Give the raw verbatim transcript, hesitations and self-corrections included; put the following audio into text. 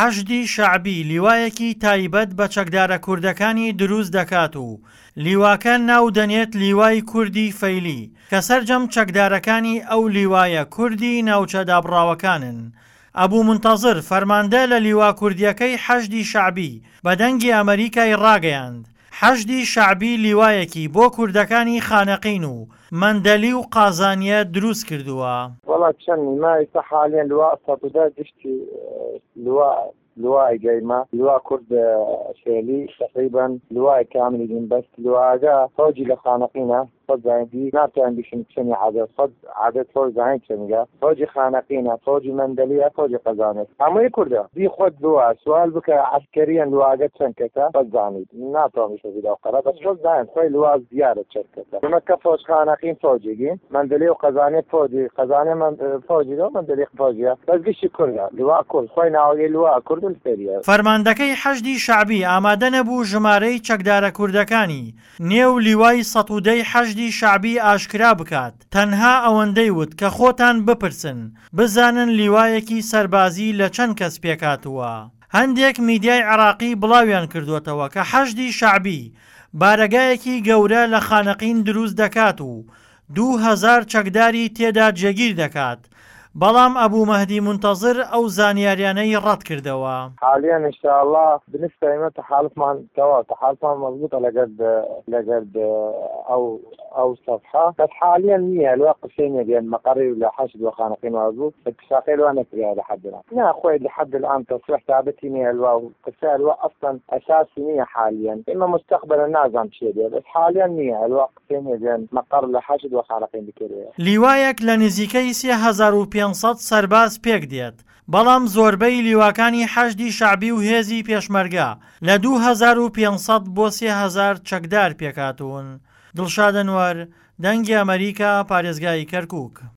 حەشدی شەعبی لیوایەکی تایبەت بە چەکدارە کوردەکانی دروست دەکات و لیواکە ناو دەنێت لیوای کوردی فەیلی کە سەرجەم چەکدارەکانی ئەو لیوایە کوردی ناوچە دابڕاوەکانن. ئەبو مونتەزر فەرماندە لە لیوا کوردیەکەی حەشدی شەعبی بە دەنگی ئەمەریکای ڕاگەیاند حەشدی شەعبی لیوایەکی بۆ کوردەکانی خانەقین و مەندەلی و قازانیە دروست کردووە. وەڵا چەند ما ئێستا حالیان لواء سەد و دە گشتی لواء لواء قايمة لواء كرد فعلي تقريبا لواء كامل بس لواء فوجي لخانقينة صد زاين ناتوان بشن چني عدد صد عدد فوج زاين چنگا فوجي خانقينة فوجي مندلية فوجي قزانة همي كرده دي خود لواء سؤال بك عسكريا لواء قد چنكتا صد زاين ناتوان بشن في دوقرة بس فوج زاين خوي لواء زيادة شركتا مكة فوج خانقين فوجي مندلية وقزانة فوجي قزانة من فوجي دو مندلية فوجي بس قشي كرده لواء كرد خوي ناوي لواء كرد الفيريا فەرماندەکەی حەشدی شەعبی ئامادە نەبوو ژمارەی چەکدارە کوردەکانی نێو لیوای سەد و دەی حەشدی شەعبی ئاشکرا بکات، تەنها ئەوەندەی وت کە خۆتان بپرسن بزانن لیوایەکی سەربازی لە چەند کەس پێکاتووە. هەندێک میدیای عراقی بڵاویان کردوێتەوە کە حەشدی شەعبی بارەگایەکی گەورە لە خانەقین دروست دەکات و دوو هەزار چەکداری تێدا جێگیر دەکات، بەڵام ئەبوو مەهدی مونتەزر ئەو زانیاریانەی ڕەت کردەوە. حاليا ان شاء الله بالنسبه لنا تحالفمان توا تحالفمان مضبوطه لقد لقد او او صفحه بس حاليا نية الواقع شيء بين مقري ولا حشد وخانقين وازو اتفاقيه لو انا في لحد الان لا اخوي لحد الان تصريح ثابت نية الواو قصة الوا اصلا اساسي نية حاليا اما مستقبلا نازم شيء بس حاليا نية الواقع شيء بين مقر لحشد وخانقين بكريه لیوایەک لە نزیکەی سێ هەزار و پێنج سەد سەرباز پێک دێت، بەڵام زۆربەی لیواکانی حەشدی شەعبی و هێزی پێشمەرگە لە دوو هەزار و پێنج سەد بۆ سێ هەزار چەکدار پێکهاتوون. دڵشاد ئەنوەر، دەنگی ئەمەریکا، پارێزگای کەرکووک.